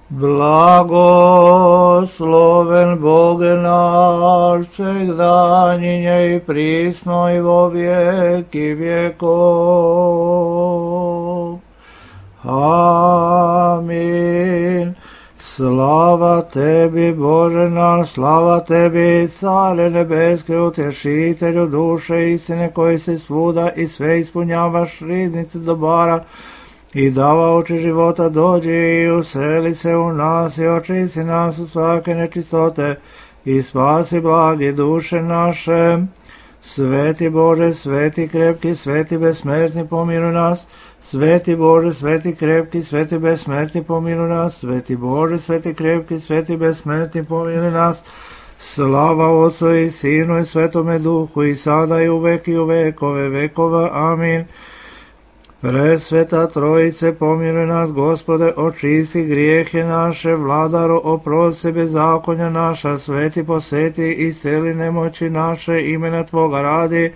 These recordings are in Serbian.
Blagosloven Bog naš, всегда и присно и во веки веков. Амин. Slava tebi, Bože naš, slava tebi, Care nebeske, utješitelju duše istine, koji se svuda i sve ispunjavaš, riznice dobara i davaoči života, dođi i useli se u nas i očisti nas od svake nečistote i spasi blagi duše naše. Sveti Bože, sveti krepki, sveti besmrtni, pomiluj nas. Sveti Bože, sveti krepki, sveti besmrtni, pomiluj nas. Sveti Bože, sveti krepki, sveti besmrtni, pomiluj nas. Slava Otcu i Sinu i Svetome Duhu, i sada i uvek i u vekove vekova. Amin. Presveta Trojice, pomiluj nas, Gospode, očisti grijehe naše, Vladaro, oprosti bezakonja naša, sveti poseti, isceli nemoći naše, imena Tvoga radi.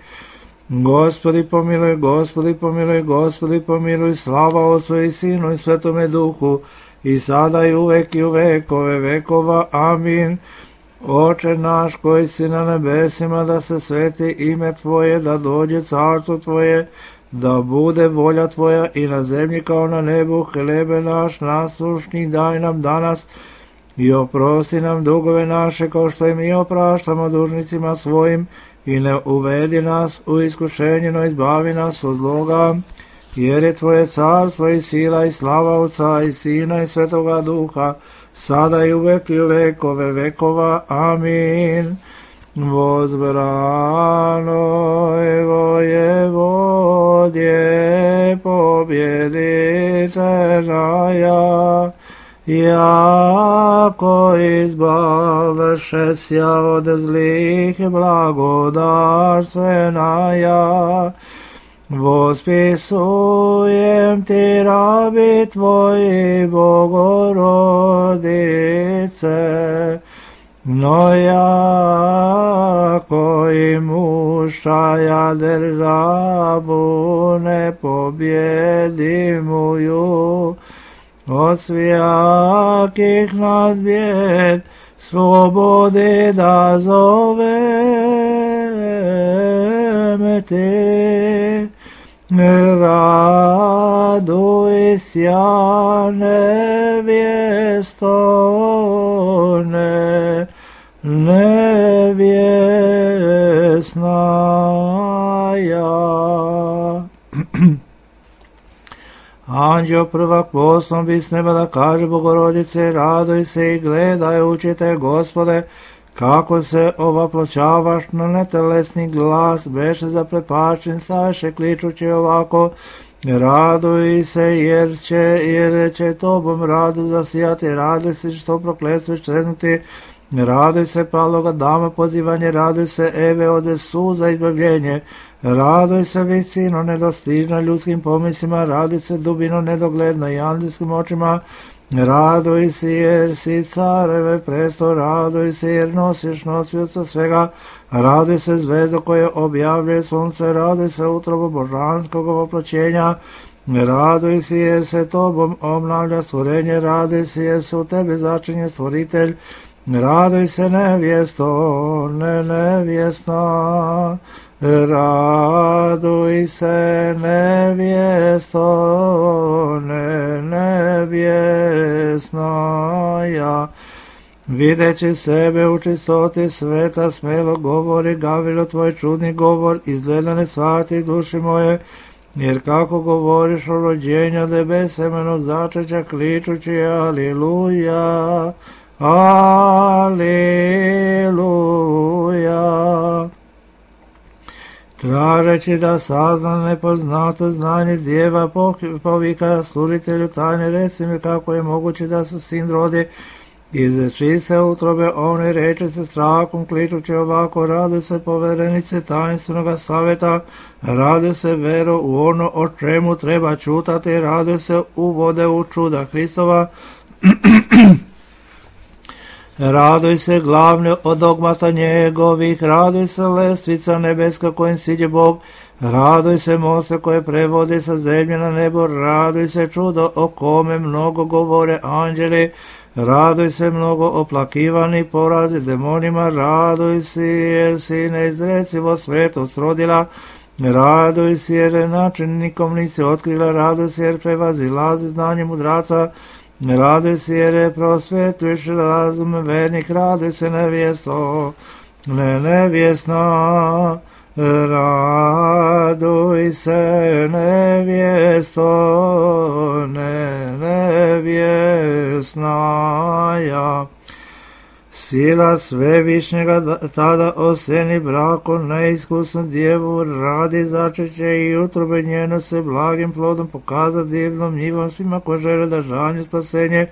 Gospodi pomiluj, Gospodi pomiluj, Gospodi pomiluj, slava Otcu i Sinu i Svetome Duhu, i sada i uvek i u vekove vekova. Amin. Oče naš koji si na nebesima, da se sveti ime Tvoje, da dođe carstvo Tvoje, da bude volja Tvoja i na zemlji kao na nebu. Hlebe naš nasušni daj nam danas i oprosti nam dugove naše, kao što i mi opraštamo dužnicima svojim, i ne uvedi nas u iskušenje, no izbavi nas od zloga, jer je Tvoje carstvo i sila i slava Otca i Sina i Svetoga Duha, sada i uvek i u vekove vekova. Amin. Возбранoj Воеводje, побjeditelja, jako izbavše sja od zlih, blagodarstvenaja. Vospisujem ti, rabi Tvoji, Bogorodice, no jako imušaja državu nepobjedimuju, od svijakih nas bijed slobodi da zoveme ti. Raduj sja nevjestone, nevjesnaja. Anđeo prvak poslom bi s neba da kaže Bogorodice, raduj se i gledaj, učite Gospode, kako se ovaploćavaš na netelesni glas, beše zaprepačen, staše kličući ovako, raduj se jer će tobom rado zasijati, raduj se što prokletstvo čeznuti, raduj se paloga dama pozivanje, raduj se Eve ode suza izbavljenje, raduj se visino nedostižna ljudskim pomislima, raduj se dubino nedogledna i anđelskim očima, raduj se jer si careve presto, raduj se jer nosiš nosioca svega, raduj se zvezdo koje objavljuje sunce, raduj se utrobo božanskog oploćenja, raduj se jer se tobom obnavlja stvorenje, raduj se jer se u tebe začinje stvoritelj, raduj se nevjesto, nevjesna, raduj se nevjesto, nevjesnaja. Videći sebe u čistoti sveta, smelo govori, Gavilo, tvoj čudni govor, izgleda ne shvati duši moje, jer kako govoriš o rođenju debe semenog začeća, kličući aliluja, aliluja. Tražeći da sazna nepoznato znanje djeva, povika slужitelju tajne, reci mi kako je moguće da se sin rodi, izreči se utrobe one, reče se strahom, kličući ovako, raduj se poverenice tajnstvenog saveta, raduj se vero u ono o čemu treba čutati, raduj se uvode u čuda Hristova, raduj se glavne od dogmata njegovih, raduj se lestvica nebeska kojim siđe Bog, raduj se mosta koje prevodi sa zemlje na nebo, raduj se čudo o kome mnogo govore anđeli, Raduj se mnogo oplakivani porazi demonima, raduj se jer si neizrecivo svetost rodila, raduj se jer načinnikom nisi otkrila, raduj se jer prevazilazi znanje mudraca, raduj se jer prosvetuješ razum vernik, raduj se nevjesto, nevjesna, raduj se nevjesto, nevjesnaja. Sila svevišnjega tada oseni braku neiskusnu djevu, radi začeće i utrobe njeno se blagim plodom pokaza divnom njivom svima ko žele da žanju spasenje,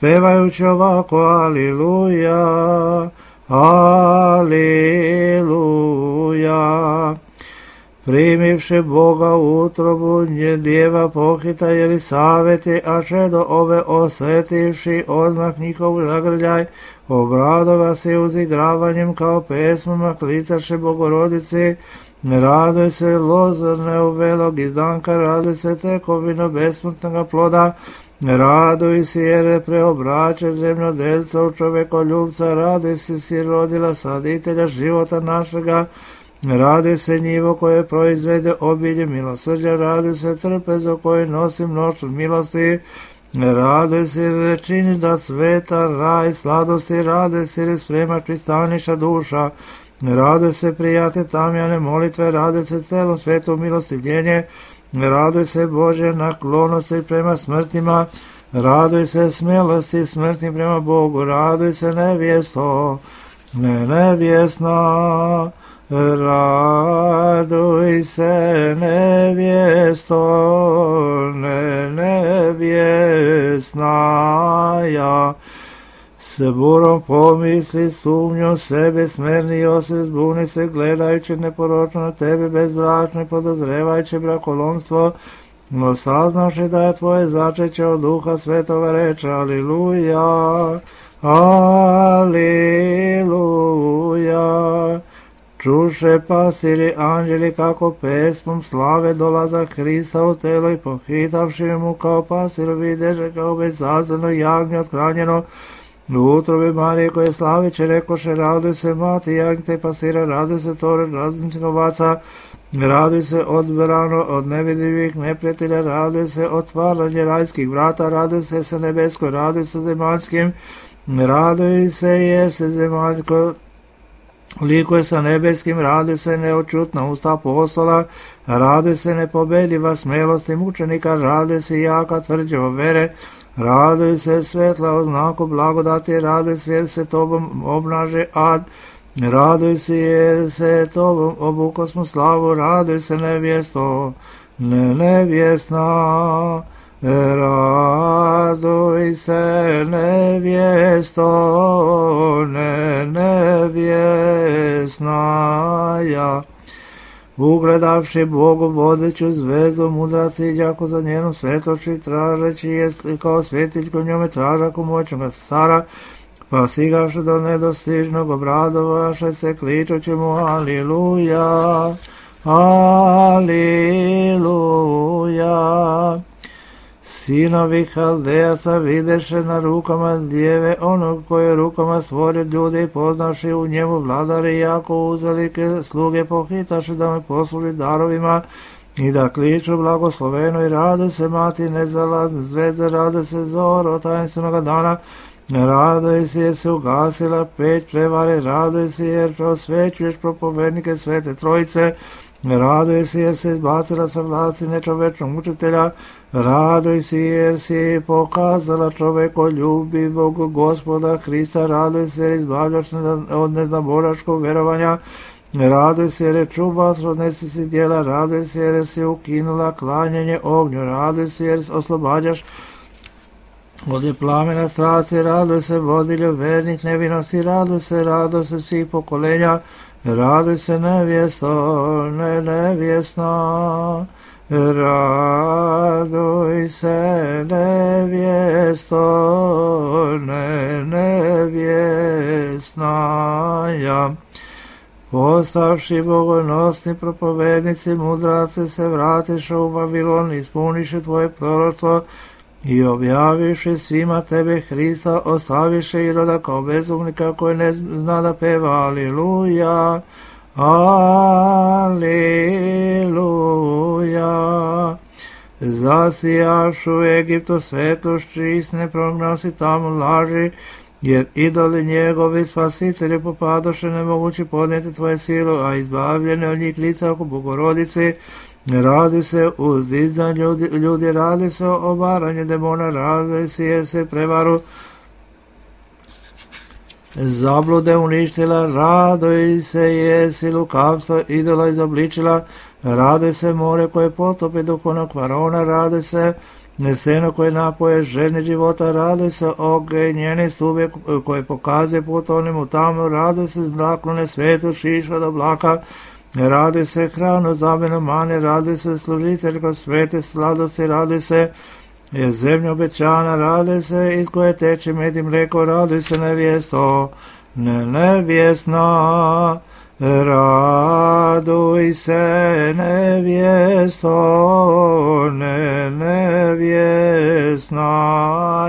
pevajući ovako aliluja, aliluja. Primivši Boga u utrobu, nje djeva pohita Jelisaveti, a še do ove osetivši odmah njihov zagrljaj, obradova se uzigravanjem kao pesmama, klitaše Bogorodici, raduj se lozorne uvelog izdanka, raduj se tekovino besmrtnoga ploda, raduj se jer preobračeš zemljodelca u čovekoljubca, raduj se si rodila saditelja života našega, raduj se njivo koje proizvede obilje milosrđa, raduj se trpezo koje nosi mnoštvo milosti, raduj se jer činiš da sveta raj sladosti, raduj se jer spremaš pristaniša duša, raduj se prijate tamjane molitve, raduj se celom svetu milostivljenje, raduj se Bože naklonosti prema smrtima, raduj se smjelosti smrtnim prema Bogu, raduj se nevjesto, nevjesna, raduj se nevjesto, nevjesnaja. S burom pomisli sumnju sebe smerni osvijest, zbuni se gledajući neporočno na tebe bezbračno i podozrevajući brakolomstvo, no saznavši da je tvoje začeće od Duha Svetoga reče aliluja, aliluja. Čuše pasiri anđeli kako pesmom slave dolazak Hrista u telo i pohitavši mu kao pasir videže kao bezazleno jagnje othranjeno u utrobi Marije koje slaviće rekoše raduj se mati jagnjte i pasira, raduj se tore razumnih ovaca, raduj se odbrano od nevidljivih neprijatelja, raduj se otvaranje rajskih vrata, raduj se nebesko, raduj se zemaljskim, raduj se jer se zemaljsko likuje sa nebeskim, raduj se neočutna usta apostola, raduj se nepobediva smelosti mučenika, raduj se jaka tvrđava vere, raduj se svetla o znaku blagodati, raduj se jer se tobom obnaže ad, raduj se jer se tobom obukosmo slavu, raduj se nevjesto, nevjesna, raduj se nevjesto, nevjesnaja. Ugledavši Bogu vodeću zvezdu, mudrac iđako za njenom svetlošću, tražeći je kao svjetiljko njome tražaku moćnoga cara, pa sigavši do nedostižnog obradovaše se kličući mu aliluja, aliluja. Sinovi Haldejaca videše na rukama djeve onog koje rukama stvorio ljude i poznavši u njemu vladare jako uzalike sluge pohitaše da me posluži darovima i da kliču blagosloveno i rade se mati nezalazne zvezde, rade se zoro tajenstvenog dana, raduj se jer se ugasila peć prevare, raduj se jer prosvećuješ propovednike Svete Trojice, raduj se jer se izbacila sa vlasti nečovečnog učitelja, raduj se jer si pokazala čovekoljubivog Gospoda Hrista, raduj se jer izbavljaš od neznaboračkog verovanja, raduj se jer je čuvac odnesi si djela, raduj se jer si ukinula klanjanje ognju, raduj se jer oslobađaš od plamena strasti, raduj se vodilju vernik nevinosti, raduj se svih pokolenja, raduj se nevjesto, nevjesna, raduj se nevjesto, nevjesnaja. Postavši bogonosni propovednici, mudraci se vratiše u Vavilon, ispuniše tvoje proroštvo, i objaviše svima tebe Hrista, ostaviše Iroda kao bezumnika koji ne zna da peva. Aliluja, aliluja. Zasijaš u Egiptu svetlošću istine, prognosi tamo laži, jer idoli njegovi spasitelji popadoše, nemogući podnijeti tvoje silu, a izbavljene od njih lica oko Bogorodice. Radi se uzdizanju ljudi, radi se o obaranju demona, radi se prevaru zablude uništila, radoj se jesi lukavstvo idola izobličila, radi se more koje potopi duhovnog faraona, radi se seno koje napoje ženi života, radi se ognjeni stube koje pokazuje put onemu tamo, radi se zaklone svetu šiša od oblaka, radi se hranu zamjenu mane, radi se služiteljko svete sladosti, radi se zemlja obećana, radi se iz koje teče med i mlijeko, radi se nevjesto, nevjesna, raduj se nevjesto, nevjesna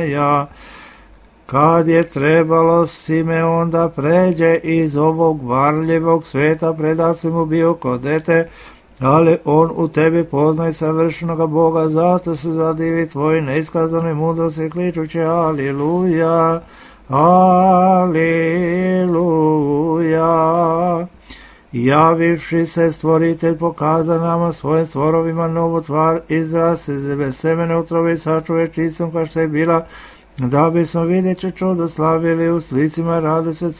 ja. Kad je trebalo Simeon da pređe iz ovog varljivog sveta, predat si mu bio kod dete, ali on u tebi poznaje savršenoga Boga, zato se zadivi tvoj neiskazanoj mudrosti, kličući aliluja, aliluja. Javivši se stvoritelj pokaza nama svojim stvorovima novu tvar, izraz se bez semene utrobe i sačuve čistom kao što je bila, da bismo vidjeći čudo slavili u slicima, radi se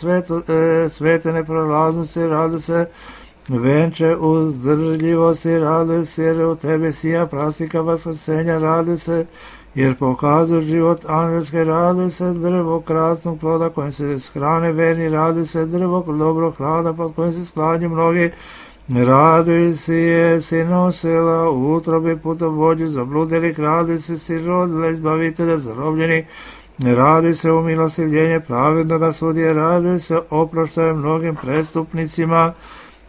svete neprolaznosti, radi se venče uzdržljivosti, radi se jer u tebi sija prastika vaskrsenja, radi se jer pokazuje život angelske, radi se drvo krasnog ploda kojim se shrane verni, radi se drvo dobro hlada pod kojim se sklanju mnogi, radi se jesi nosila u utrobi putovođi zabludjelih, radi se si rodila izbavitelja zarobljenih, radi se umilostivljenje pravednoga sudije, radi se oproštaje mnogim prestupnicima,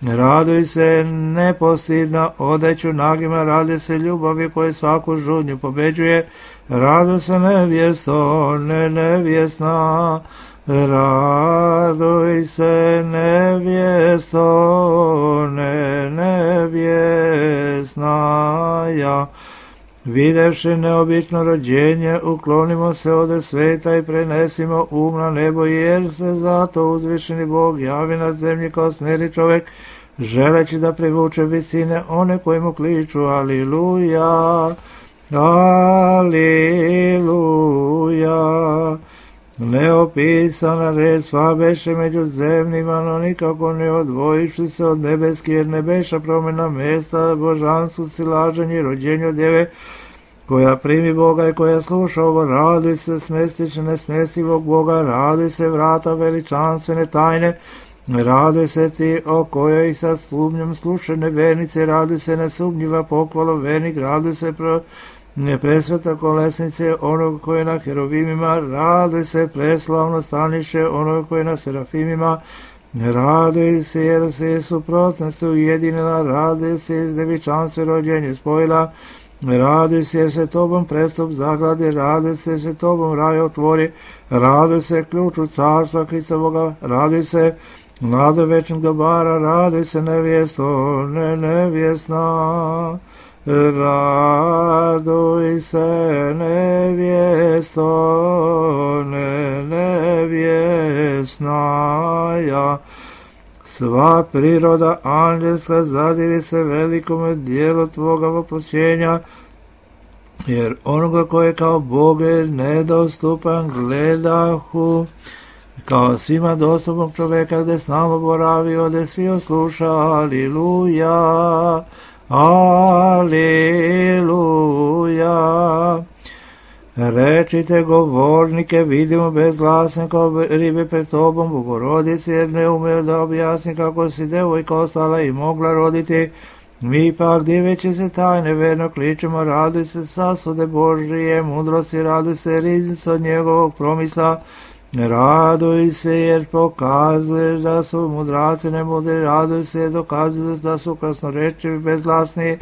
raduj se nepostidna odeću nagima, radi se ljubavi koje svaku žudnju pobeđuje, raduj se nevjesto, nevjesna, raduj se nevjesto, nevjesna ja. Videvši neobično rođenje, uklonimo se ode sveta i prenesimo na nebo, jer se zato uzvišeni Bog javi na zemlji kao smjeri čovjek, želeći da privuče visine one koji mu kliču aliluja, aliluja. Neopisana reč sva beše među zemljima, no nikako ne odvojiši se od nebeski, jer ne beša promjena mjesta božanstvu, silaženje i rođenju djeve, koja primi Boga i koja sluša ovo, radi se smestiće nesmestivog Boga, radi se vrata veličanstvene tajne, radi se ti o kojoj sa sumnjom slušene vernice, radi se nesumnjiva pohvala vernik, radi se presveta kolesnice onog koji je na heruvimima, radi se preslavno staniše onog koji je na serafimima, radi se jer se suprotnosti ujedinila, radi se iz devičanstva rođenje spojila, radi se jer se tobom prestup zagradi, radi se tobom raj otvori, radi se ključu carstva Hristovoga, radi se nade večnog dobara, radi se nevjesto, nevjesna, raduj se nevjesto, nevjesna ja. Sva priroda anđelska zadivi se velikome dijelu tvoga voproćenja, jer onoga koji je kao Bog je nedostupan gledahu, kao svima dostupnog čovjeka gdje s nama boravi, ode svi osluša, aliluja, aliluja. Rečite govornike, vidimo bezglasne kao ribe pred tobom, Bogorodici, jer ne umeju da objasni kako si devojka ostala i mogla roditi. Mi pak diveći se tajne verno kličemo, radi se sasude Božije mudrosti, radi se riznica od njegovog promisla, raduj se jer pokazuješ da su mudraci nemudri, raduj se jer dokazuju da su krasnorečivi bezglasni,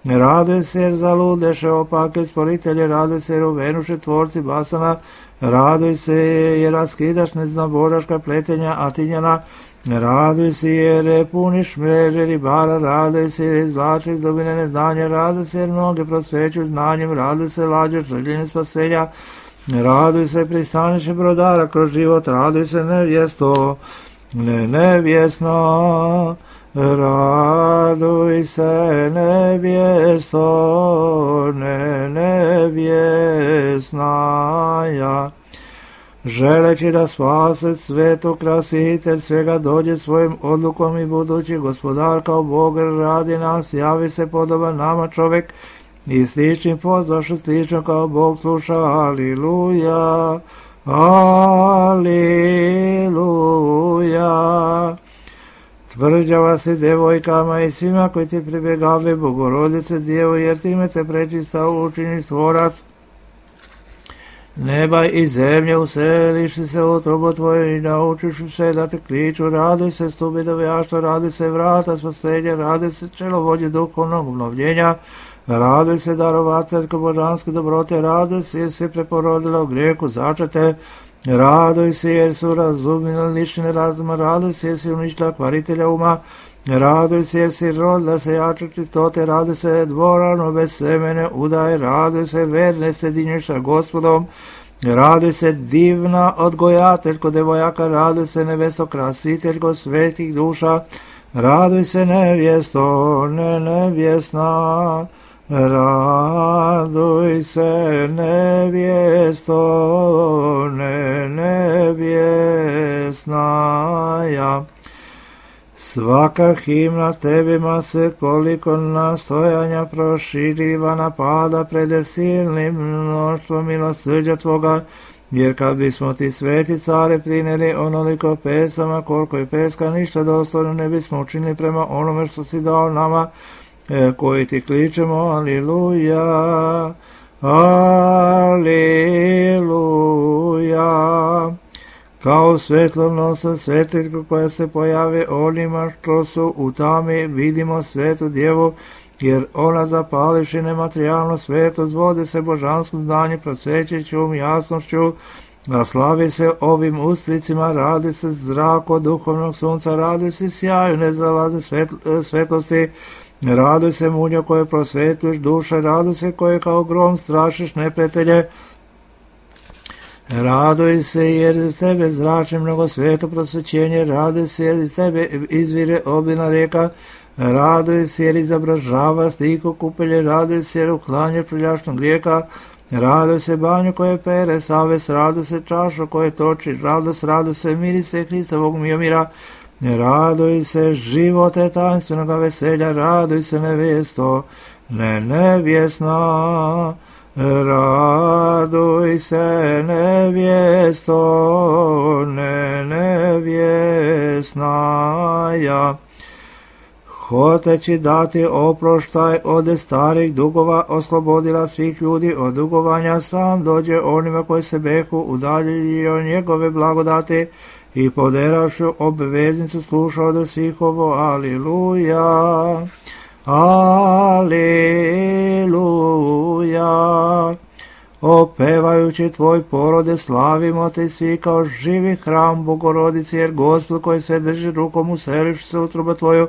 Raduj se jer zaludeše opake sporitelje, raduj se jer uvenuše tvorci basana, raduj se jer raskidaš neznaboraška pletenja Atinjana, raduj se jer puniš mreže ribara, raduj se jer izvlačiš dubine neznanja, raduj se jer mnoge prosvećuš znanjem, raduj se lađeš željene spasenja, raduj se pristaniše brodara kroz život, raduj se nevjesto, nevjesna, raduj se nevjesto, nevjesnaja. Želeći da spase svetu krasitelj svega dođe svojim odlukom i budući gospodar kao Bog radi nas, javi se podoban nama čovjek i sličnim pozvaše slično kao Bog sluša. Aliluja, aliluja. Tvrđava si devojkama i svima koji ti pribjegave, Bogorodice Djevo, jer time te prečista učiniš tvorac neba i zemlje, useliš se u utrobu tvoje i naučiš se da te kliču. Raduj se stubi dovijaštva, raduj se vrata spasenja, raduj se čelovođe duhovnog obnovljenja, raduj se darovateljko božanske dobrote, raduj se jer si preporodila u grijehu začete, raduj se jer su razumile lične razuma, raduj se jer si uništila kvaritelja uma, raduj se jer si rodila se jače čistote, raduj se dvorano bez semene udaje, raduj se verne sedinješ sa Gospodom, raduj se divna odgojateljko devojaka, raduj se nevesto krasiteljko svetih duša, raduj se nevjesto, nevjesna, raduj se nevjesto, nevjesnaja. Svaka himna tebima se koliko nastojanja proširiva napada pred silnim mnoštvom milosrđa tvoga, jer kad bismo ti sveti care prineli onoliko pesama koliko je peska ništa dostojno ne bismo učinili prema onome što si dao nama, koji ti kličemo aliluja, aliluja. Kao svjetlonosa svetiljka koja se pojavi onima što su u tami, vidimo svetu djevu, jer ona zapalivši nematerijalno svetlost vode se božanskom znanju, prosvećećom jasnošću, a slavi se ovim ustricima, radi se zrak od duhovnog sunca, radi se sjaju nezalaze svetlosti, raduj se munjo koje prosvetuješ duše, raduj se koje kao grom strašiš neprijatelje, raduj se jer iz tebe zrači mnogo sveto prosvećenje, raduj se jer iz tebe izvire obilna rijeka, raduj se jer izobražava stiho kupelje, raduj se jer uklanje prljašnog grijeka, raduj se banju koje pere savest, raduj se čašu koje toči radost, raduj se mirise Hristovog miomira, raduj se živote tanstvenoga veselja, raduj se nevjesto, nevjesna, raduj se nevjesto, nevjesnaja. Hoteći dati oproštaj od starih dugova, oslobodila svih ljudi od dugovanja, sam dođe onima koji se behu udaljili od njegove blagodati i poderavši obveznicu slušao do svih ovo. Aliluja, aliluja. Opevajući tvoj porode slavimo te svi kao živi hram Bogorodici, jer Gospod koji sve drži rukom useliš se utroba tvoju,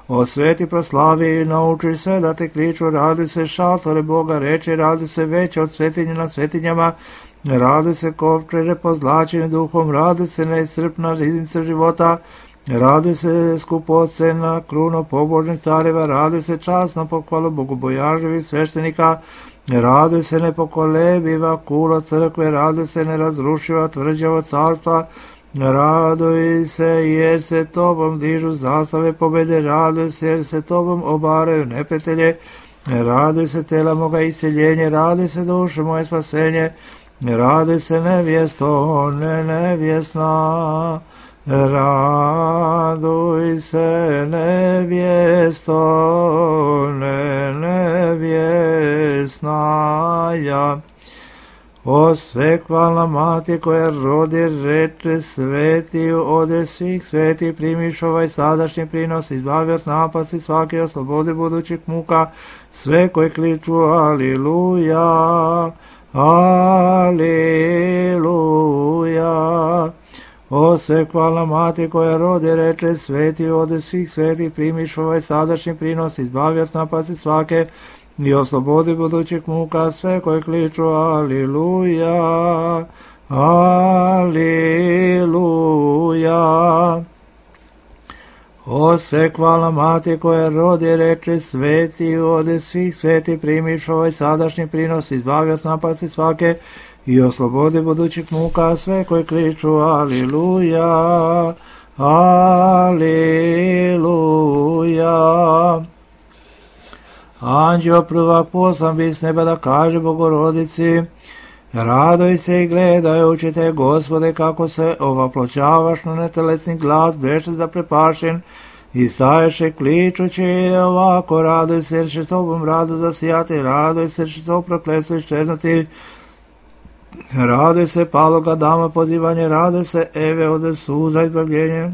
osveti proslavi i nauči sve da te kliču, raduj se šatore Boga reče, raduj se veće od svetinja na svetinjama, raduj se kovčeže pozlačeni duhom, raduj se neiscrpna riznica života, raduj se skupocena kruno pobožnih careva, raduj se časna pohvala bogobojaživih sveštenika, raduj se nepokolebiva kulo crkve, raduj se nerazrušiva tvrđava carstva, raduj se jer se tobom dižu zastave pobjede, raduj se jer se tobom obaraju neprijatelje, raduj se tela moga isceljenje, raduj se duše moje spasenje, raduj se nevjesto, nevjesna, raduj se nevjesto, nevjesnaja. O svekvalna mati koja rodi reče sveti, ode svih sveti, primiš ovaj sadašnji prinos, izbavi od napasti svake, oslobodi budućih muka, sve koji kliču aliluja, aliluja. O svekvalna mati koja rodi reče sveti, ode svih sveti, primiš ovaj sadašnji prinos, izbavi od napasti svake, i oslobodi budućih muka, sve koji kliču aliluja, aliluja. O svekvalna mati koja rodi reče sveti, ode svih sveti, primiš ovaj sadašnji prinos, izbavi od napasti svake, i oslobodi budućih muka, sve koji kliču aliluja, aliluja. Anđeo prvak poslan bi s neba da kaže Bogorodici, radoj se i gledajući te, Gospode, kako se ovaploćavaš na netelesni glas, beše zaprepašen, i staješe kličući ovako, radoj se jer će tobom rado zasijati, radoj se jer će to prokletstvo iščeznuti, radoj se paloga dama pozivanje, radoj se Eve ode suza izbavljenje.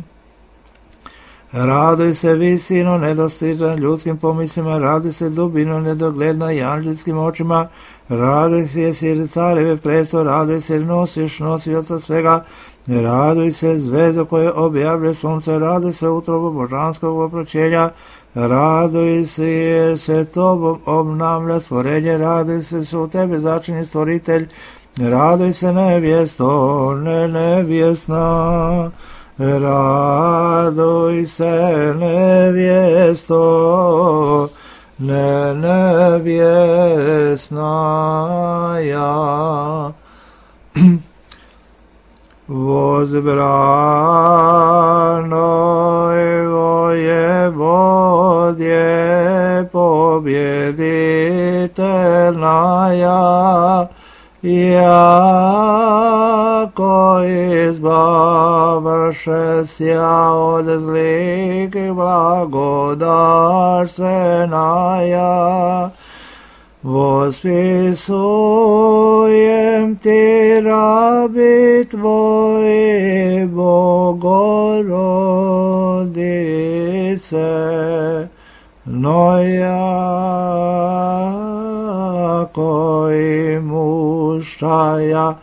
Radoj se visino nedostižan ljudskim pomislima, radoj se dubino nedogledna i anđelskim očima, radoj se jesi careve presto, radoj se nosiš nosioca svega, radoj se zvezdo koje objavlja sunce, radoj se utrobu božanskog oproćenja, radoj se jer se tobom obnavlja stvorenje, radoj se su tebe začini stvoritelj, radoj se nevjesto, nevjesna. Radoj se nevjesto, nevjesna ja. Возбранoj vojevodje pobjeditelnaja, jako izbavše sja od zlih blagodarstvena, vospisujem ti rabi tvoji, Bogorodice, no jako i mušaja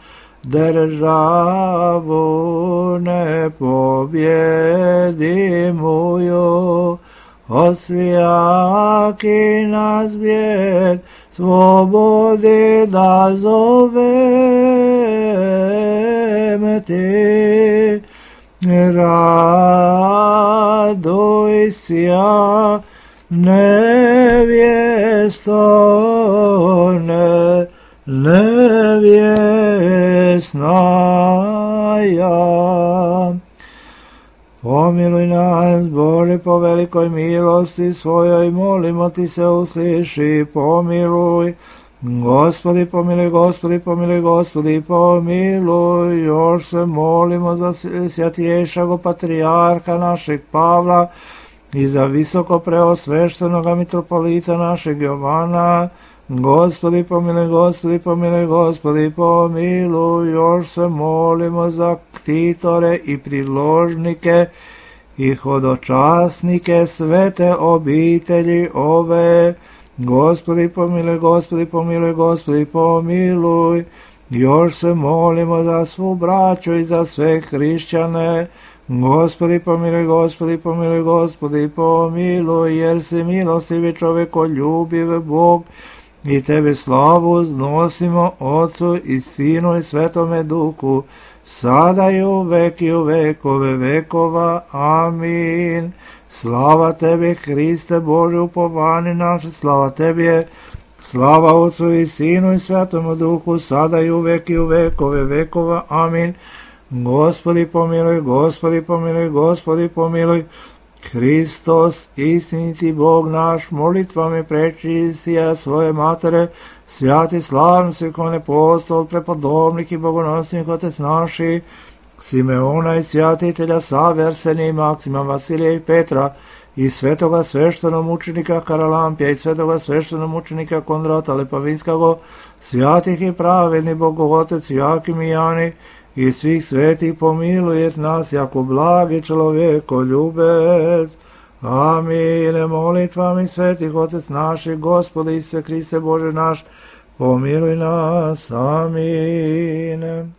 državu ne pobjedimuju, osvijaki nas bijed slobodi da zovem ti, raduj sja nevjesto, nevjesna ja. Pomiluj nas, Bože, po velikoj milosti svojoj, molimo ti se, usliši, pomiluj. Gospodi, pomiluj, Gospodi, pomiluj, Gospodi, pomiluj. Još se molimo za svjatješago patrijarha našeg Pavla i za visoko preosveštenoga mitropolita našeg Jovana. Gospodi, pomiluj, Gospodi, pomiluj, Gospodi, pomiluj. Još se molimo za ktitore i priložnike i hodočasnike svete obitelji ove. Gospodi, pomiluj, Gospodi, pomiluj, Gospodi, pomiluj. Još se molimo za svu braću i za sve hrišćane. Gospodi, pomiluj, Gospodi, pomiluj, Gospodi, pomiluj, jer si milostivi čovekoljubiv Bog, i tebe slavu uznosimo Otcu i Sinu i Svetome Duhu, sada i u vekove vekova. Amin. Slava tebi, Hriste Bože, upovani naše, slava tebi, slava Otcu i Sinu i Svetomu Duhu, sada i u vekove vekova. Amin. Gospodi pomiluj, Gospodi pomiluj, Gospodi pomiluj. Hristos, istiniti Bog naš, molitvami prečistija svoje matere, svjati slavni svekovni apostol, prepodobnik i bogonosnik otec naši, Simeona i svjatitelja Save, Arsenija i Maksima, Vasilija i Petra, i svetoga sveštenomučenika Karalampija i svetoga sveštenomučenika Kondrata Lepavinskog, svjatih i pravedni Bogootec Jakim i Jani i svih svetih pomilujet nas jako blagi čovjeko ljubec. Amin. Molitvami svetih Otec naših, Gospode Isuse Hriste Bože naš, pomiluj nas. Amin.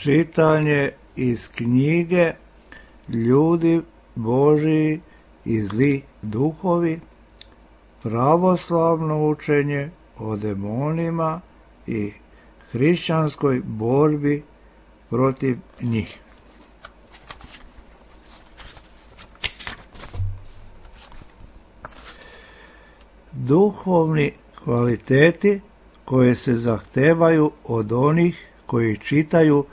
Čitanje iz knjige Ljudi Božiji i zli duhovi, pravoslavno učenje o demonima i hrišćanskoj borbi protiv njih. Duhovni kvaliteti koje se zahtevaju od onih koji čitaju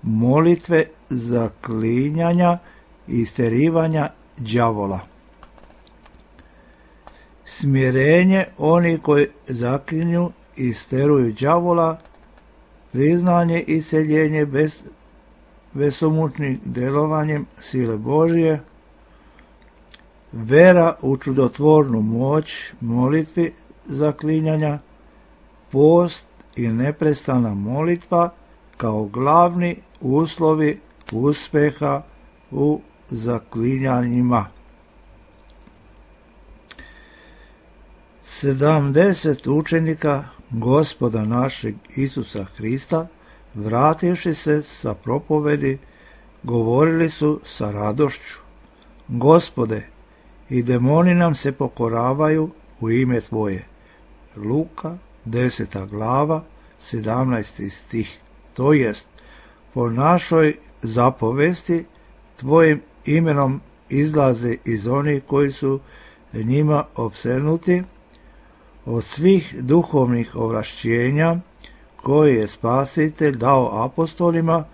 molitve zaklinjanja i isterivanja đavola. Smirenje oni koji zaklinju i isteruju đavola, priznanje i iseljenje besomučnim delovanjem sile Božije, vera u čudotvornu moć molitvi zaklinjanja, post i neprestana molitva kao glavni uslovi uspeha u zaklinjanjima. 70 učenika Gospoda našeg Isusa Hrista, vrativši se sa propovedi, govorili su sa radošću: Gospode, i demoni nam se pokoravaju u ime Tvoje. Luka, 10. glava, 17. stih. To jest, po našoj zapovesti Tvojim imenom izlaze iz onih koji su njima opsednuti, od svih duhovnih ovlašćenja koje je Spasitelj dao apostolima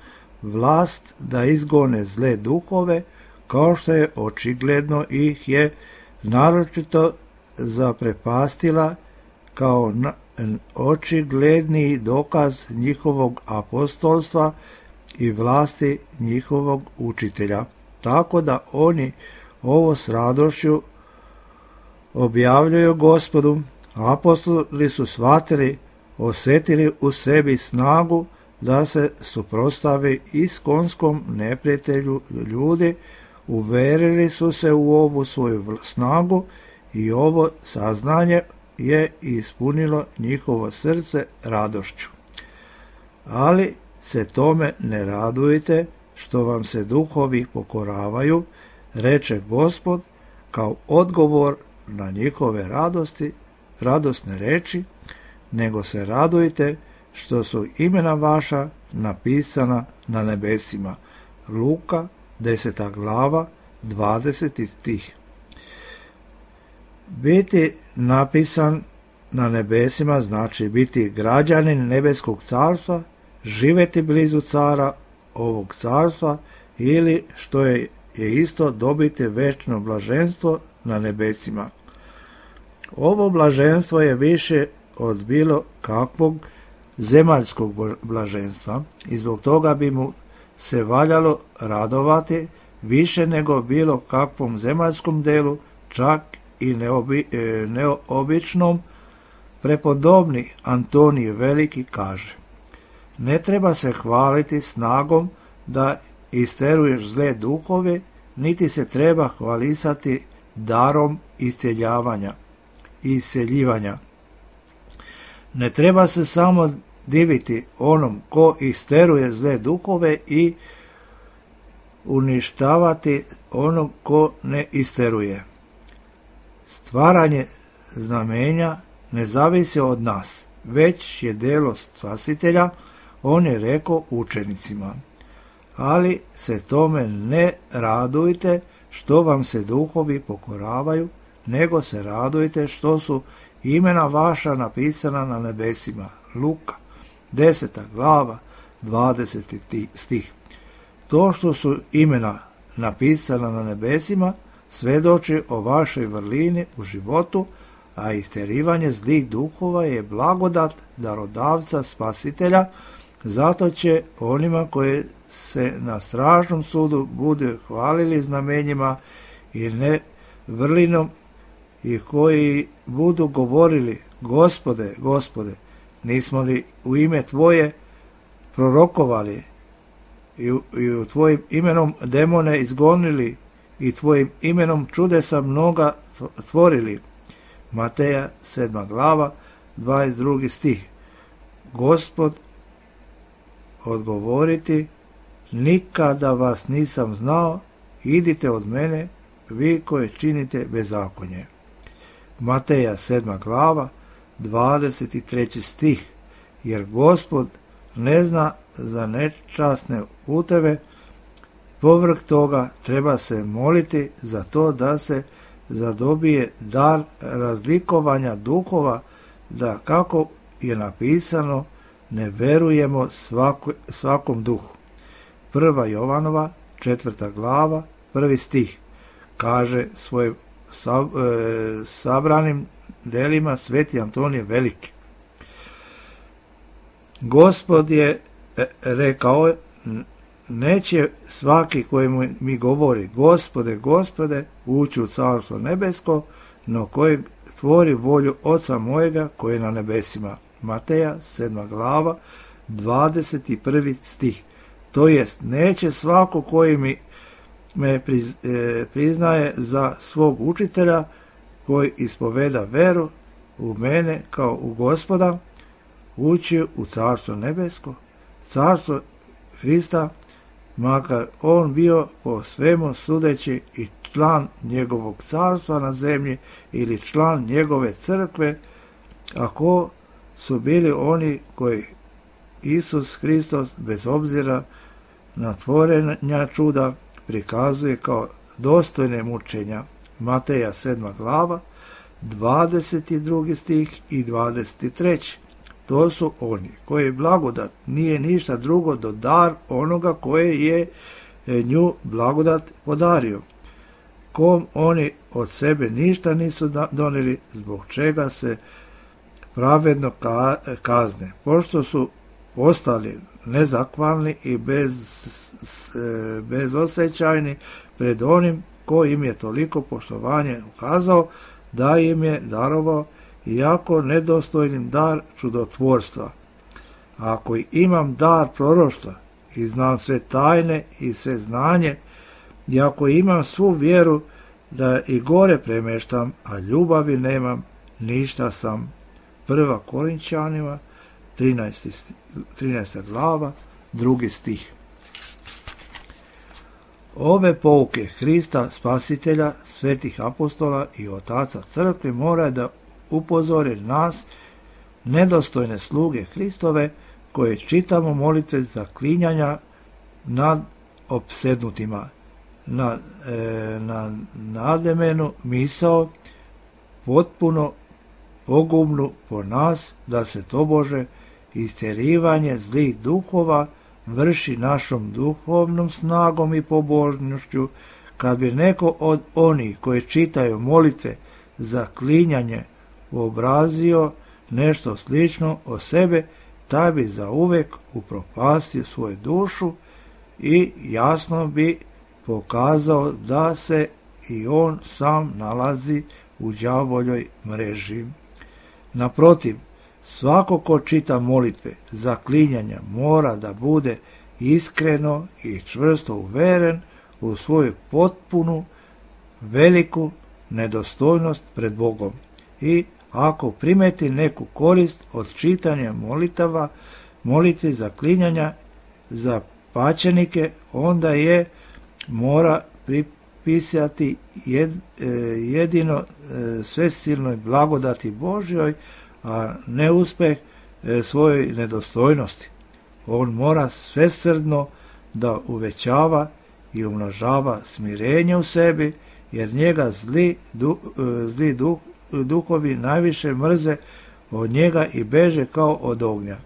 vlast da izgone zle duhove, kao što je očigledno ih je naročito zaprepastila kao očigledni dokaz njihovog apostolstva i vlasti njihovog učitelja. Tako da oni ovo s radošću objavljuju Gospodu. Apostoli su shvatili, osjetili u sebi snagu da se suprotstavi iskonskom neprijatelju ljudi, uverili su se u ovu svoju snagu i ovo saznanje je ispunilo njihovo srce radošću. Ali se tome ne radujte što vam se duhovi pokoravaju, reče Gospod, kao odgovor na njihove radosne reči, nego se radujte što su imena vaša napisana na nebesima. Luka, 10. glava, 20. stih. Biti napisan na nebesima znači biti građanin nebeskog carstva, živjeti blizu cara ovog carstva ili, što je isto, dobiti večno blaženstvo na nebesima. Ovo blaženstvo je više od bilo kakvog zemaljskog blaženstva i zbog toga bi mu se valjalo radovati više nego bilo kakvom zemaljskom delu, čak i neobičnom. Prepodobni Antonij Veliki kaže: ne treba se hvaliti snagom da isteruješ zle duhove, niti se treba hvalisati darom isceljivanja. Ne treba se samo diviti onom ko isteruje zle duhove i uništavati onog ko ne isteruje. Stvaranje znamenja ne zavisi od nas, već je delo Spasitelja. On je rekao učenicima: ali se tome ne radujte što vam se duhovi pokoravaju, nego se radujte što su imena vaša napisana na nebesima. Luka, 10. glava, 20. stih. To što su imena napisana na nebesima svedoči o vašoj vrlini u životu, a isterivanje zlih duhova je blagodat darodavca Spasitelja. Zato će onima koji se na strašnom sudu budu hvalili znamenjima i ne vrlinom i koji budu govorili: Gospode, Gospode, nismo li u ime Tvoje prorokovali i u Tvojim imenom demone izgonili i Tvojim imenom čudesa mnoga tvorili? Mateja, 7. glava, 22. stih. Gospod odgovoriti nikada vas nisam znao, idite od mene, vi koji činite bezakonje. Mateja 7. glava, 23. stih. Jer Gospod ne zna za nečasne puteve, povrh toga treba se moliti za to da se zadobije dar razlikovanja duhova, da kako je napisano, ne verujemo svakom duhu. 1. Jovanova 4. glava, 1. stih. Kaže svojim sabranim delima sveti Antonije Veliki. Gospod je rekao, neće svaki koji mi govori Gospode, Gospode, ući u carstvo nebesko, no koji tvori volju Oca mojega koji je na nebesima. Mateja 7. glava, 21. stih. To jest, neće svako koji me priznaje za svog učitelja, koji ispoveda veru u mene kao u Gospoda, ući u carstvo nebesko, carstvo Hrista, makar on bio po svemu sudeći i član njegovog carstva na zemlji ili član njegove crkve, ako su bili oni koji Isus Hristos bez obzira na tvorenja čuda prikazuje kao dostojne mučenja. Mateja 7. glava, 22. stih i 23. To su oni koji blagodat nije ništa drugo do dar onoga koje je nju blagodat podario, kom oni od sebe ništa nisu donijeli, zbog čega se pravedno kazne, pošto su ostali nezakvalni i bezosjećajni pred onim ko im je toliko poštovanje ukazao da im je darovao, iako nedostojnim dar čudotvorstva. Ako imam dar proroštva i znam sve tajne i sve znanje, i ako imam svu vjeru da i gore premeštam, a ljubavi nemam, ništa sam. 1. Korinčanima 13. glava, 2. stih. Ove pouke Hrista Spasitelja, svetih apostola i otaca crkve mora da upozore nas, nedostojne sluge Hristove, koje čitamo molitve zaklinjanja nad opsednutima, na nademenu misao, potpuno pogubnu po nas, da se tobože istjerivanje zlih duhova vrši našom duhovnom snagom i pobožnošću. Kad bi neko od onih koji čitaju molitve zaklinjanje uobrazio nešto slično o sebe, taj bi zauvek upropastio svoju dušu i jasno bi pokazao da se i on sam nalazi u đavoljoj mreži. Naprotiv, svako ko čita molitve zaklinjanja mora da bude iskreno i čvrsto uveren u svoju potpunu, veliku nedostojnost pred Bogom. I ako primeti neku korist od čitanja molitvi zaklinjanja za pačenike, onda je mora pripisati jedino svesilnoj blagodati Božjoj, a ne uspeh svojoj nedostojnosti. On mora svesrdno da uvećava i umnožava smirenje u sebi, jer njega zli duhovi najviše mrze od njega i beže kao od ognja.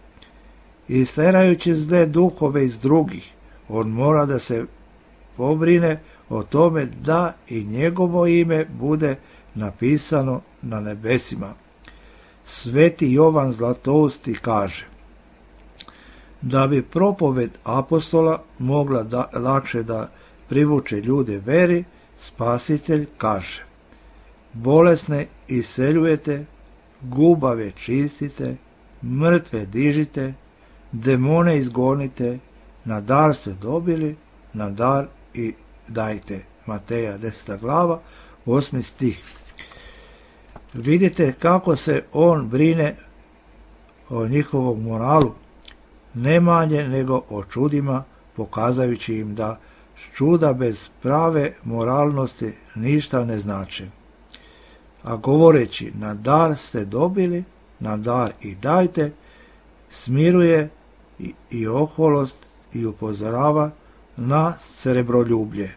Isterajući zle duhove iz drugih, on mora da se pobrine o tome da i njegovo ime bude napisano na nebesima. Sveti Jovan Zlatousti kaže: da bi propoved apostola mogla lakše da privuče ljude veri, Spasitelj kaže: bolesne iseljujete, gubave čistite, mrtve dižite, demone izgonite, na dar ste dobili, na dar i dajte. Mateja 10. glava, 8. stih. Vidite kako se on brine o njihovom moralu, ne manje nego o čudima pokazajući im da čuda bez prave moralnosti ništa ne znače. A govoreći na dar ste dobili, na dar i dajte, smiruje i oholost i upozorava na srebroljublje.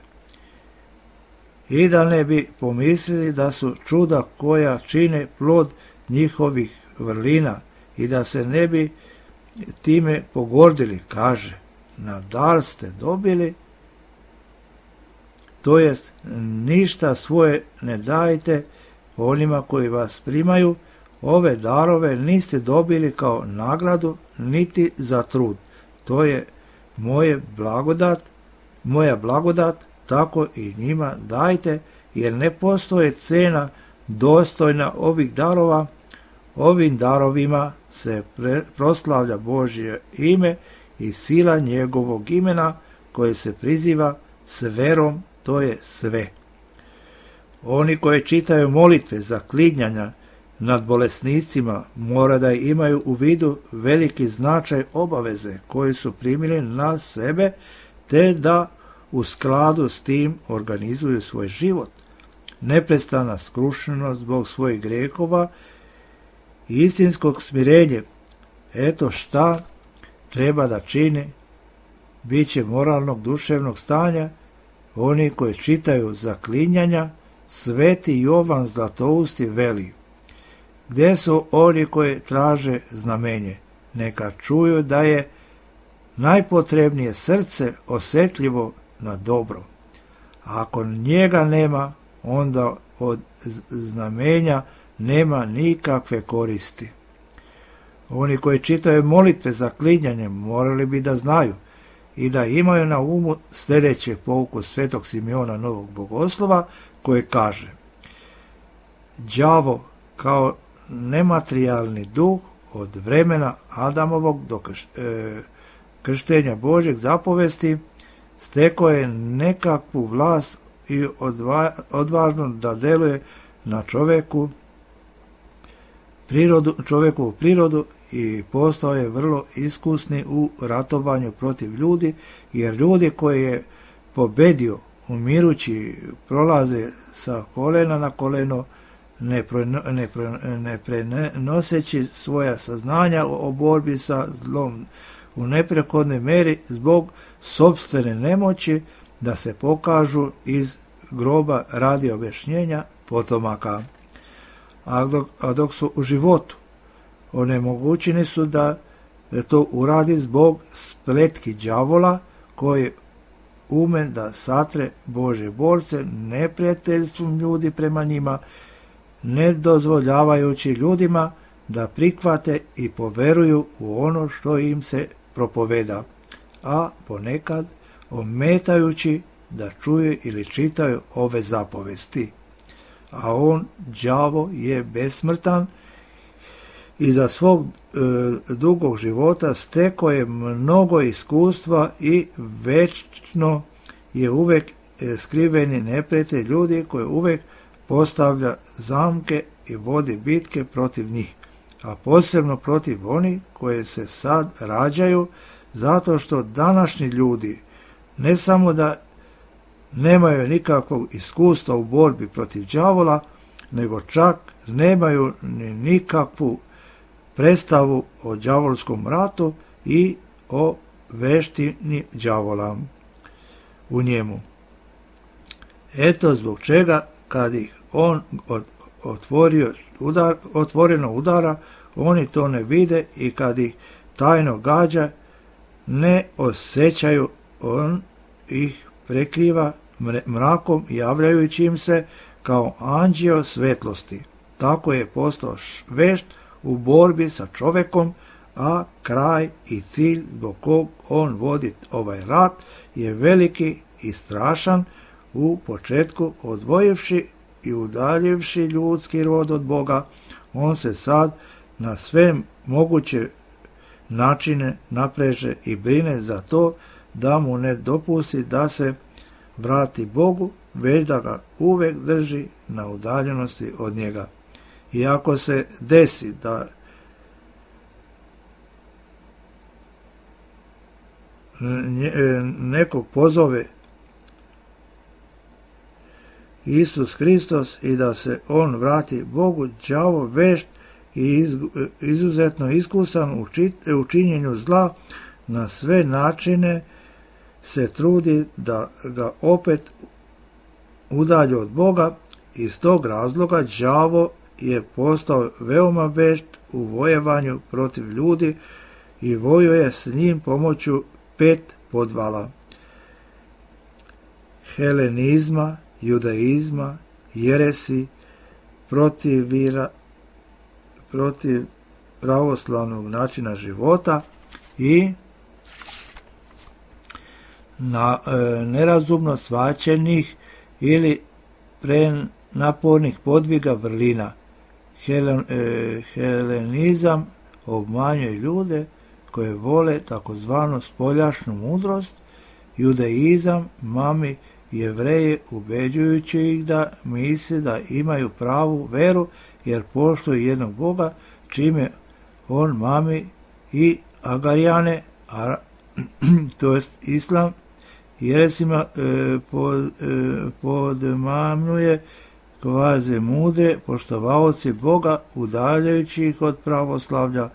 I da ne bi pomislili da su čuda koja čine plod njihovih vrlina i da se ne bi time pogordili, kaže, na dar ste dobili, to jest ništa svoje ne dajte onima koji vas primaju, ove darove niste dobili kao nagradu niti za trud. To je moja blagodat, tako i njima dajte, jer ne postoje cena dostojna ovih darova. Ovim darovima se proslavlja Božje ime i sila njegovog imena koje se priziva s verom, to je sve. Oni koji čitaju molitve za klinjanja nad bolesnicima mora da imaju u vidu veliki značaj obaveze koji su primili na sebe, te da u skladu s tim organizuju svoj život. Neprestana skrušenost zbog svojih grehova i istinskog smirenja. Eto šta treba da čini biće moralnog duševnog stanja oni koji čitaju zaklinjanja. Sveti Jovan Zlatousti veli: gdje su oni koji traže znamenje? Neka čuju da je najpotrebnije srce osjetljivo na dobro. A ako njega nema, onda od znamenja nema nikakve koristi. Oni koji čitaju molitve za klinjanje morali bi da znaju i da imaju na umu sljedeće pouku svetog Simeona Novog Bogoslova, koje kaže: đavo kao nematerijalni duh od vremena Adamovog do krštenja Božjeg zapovesti stekao je nekakvu vlast i odvažno da deluje na čovjekovu prirodu i postao je vrlo iskusni u ratovanju protiv ljudi, jer ljudi koje je pobedio umirući prolaze sa kolena na koleno, ne prenoseći svoja saznanja o borbi sa zlom u neprekodnoj meri zbog sopstvene nemoći da se pokažu iz groba radi objašnjenja potomaka. A dok su u životu, onemogućeni su da to uradi zbog spletki đavola koji umen da satre Božje borce neprijateljstvom ljudi prema njima, ne dozvoljavajući ljudima da prihvate i poveruju u ono što im se propoveda, a ponekad ometajući da čuju ili čitaju ove zapovesti. A on, đavo, je besmrtan i za svog dugog života stekao je mnogo iskustva i večno je uvek skriveni neprijatelj ljudi koji uvek postavlja zamke i vodi bitke protiv njih, a posebno protiv onih koje se sad rađaju, zato što današnji ljudi ne samo da nemaju nikakvog iskustva u borbi protiv đavola, nego čak nemaju ni nikakvu predstavu o đavolskom ratu i o veštini đavola u njemu. Eto zbog čega kad ih on otvoreno udara, oni to ne vide i kad ih tajno gađa, ne osjećaju, on ih prekriva mrakom javljajući im se kao anđeo svetlosti. Tako je postao vešt u borbi sa čovekom, a kraj i cilj zbog kog on vodi ovaj rat je veliki i strašan, u početku odvojivši i udaljivši ljudski rod od Boga. On se sad na sve moguće načine napreže i brine za to da mu ne dopusti da se vrati Bogu, već da ga uvek drži na udaljenosti od njega. I ako se desi da nekog pozove Isus Hristos i da se on vrati Bogu, đavo vešt i izuzetno iskusan u činjenju zla, na sve načine se trudi da ga opet udalji od Boga. Iz tog razloga đavo je postao veoma vešt u vojevanju protiv ljudi i vojuje s njim pomoću 5 podvala: helenizma, judaizma, jeresi, protiv pravoslavnog načina života i nerazumno shvaćenih ili prenapornih podviga vrlina. Helenizam obmanjuje ljude koje vole takozvanu spoljašnju mudrost. Judaizam mami Jevreje ubeđujući ih da misle da imaju pravu veru jer poštuju jednog Boga, čime on mami i Agarijane, to jest Islam, jeresima podmamljuje kvaze mudre poštovaoci Boga, udaljajući ih od pravoslavlja.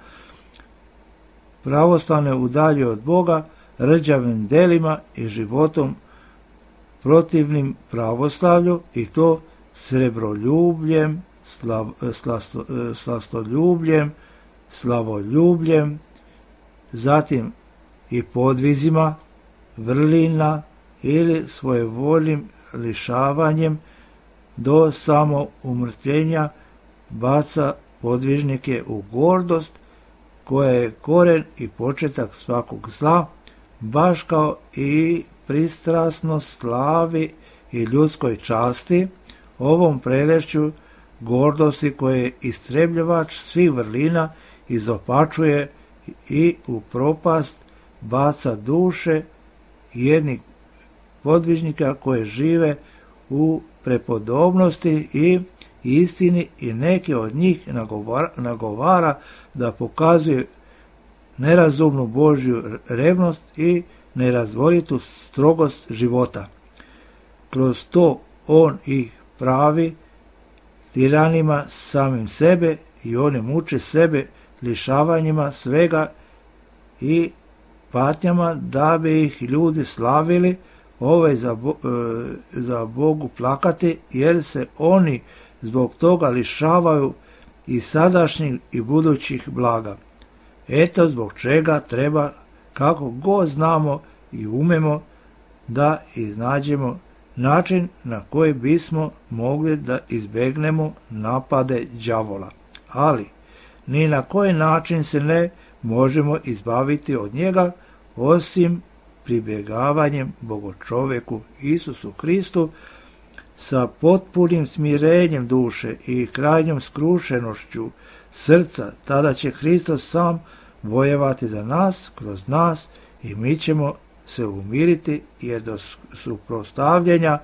Pravoslavne udalje od Boga rđavim delima i životom protivnim pravoslavlju, i to srebroljubljem, slastoljubljem, slavoljubljem, zatim i podvizima vrlina ili svojevoljnim lišavanjem do samoumrtljenja baca podvižnike u gordost, koja je koren i početak svakog zla, baš kao i pristrasnost slavi i ljudskoj časti, ovom prelešću gordosti koje je istrebljivač svih vrlina izopačuje i u propast baca duše jednih podvižnika koje žive u prepodobnosti i istini, i neki od njih nagovara da pokazuje nerazumnu Božju revnost i nerazvolitu strogost života. Kroz to on ih pravi tiranima samim sebe i oni muče sebe lišavanjima svega i patnjama da bi ih ljudi slavili, za Bogu plakati, jer se oni zbog toga lišavaju i sadašnjih i budućih blaga. Eto zbog čega treba, kako god znamo i umemo, da iznađemo način na koji bismo mogli da izbegnemo napade đavola. Ali ni na koji način se ne možemo izbaviti od njega, osim pribjegavanjem Bogočoveku Isusu Hristu sa potpunim smirenjem duše i krajnjom skrušenošću srca. Tada će Hristos sam vojevati za nas, kroz nas, i mi ćemo se umiriti, jer do suprotstavljanja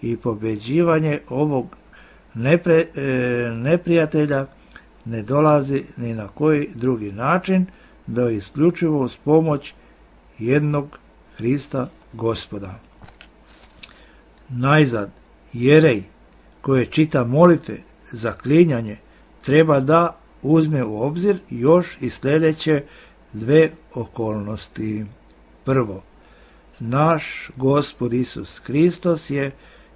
i pobeđivanje ovog neprijatelja ne dolazi ni na koji drugi način, do isključivo uz pomoć jednog Hrista Gospoda. Najzad, jerej koje čita molitve za klinjanje treba da uzme u obzir još i sljedeće 2 okolnosti. Prvo, naš Gospod Isus Hristos je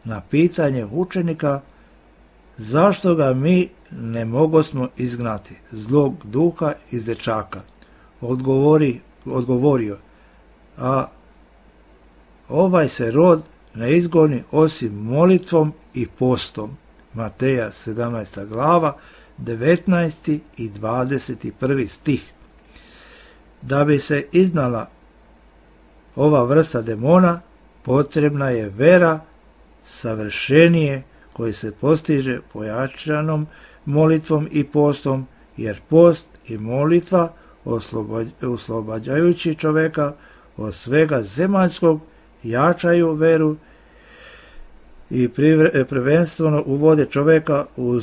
na pitanje učenika zašto ga mi ne mogosmo izgnati, zlog duha iz dečaka, odgovorio, a ovaj se rod ne izgoni osim molitvom i postom. Mateja 17. glava, 19. i 21. stih. Da bi se iznala ova vrsta demona, potrebna je vera savršenije koji se postiže pojačanom molitvom i postom, jer post i molitva oslobađajući čoveka od svega zemaljskog jačaju veru i prvenstveno uvode čoveka u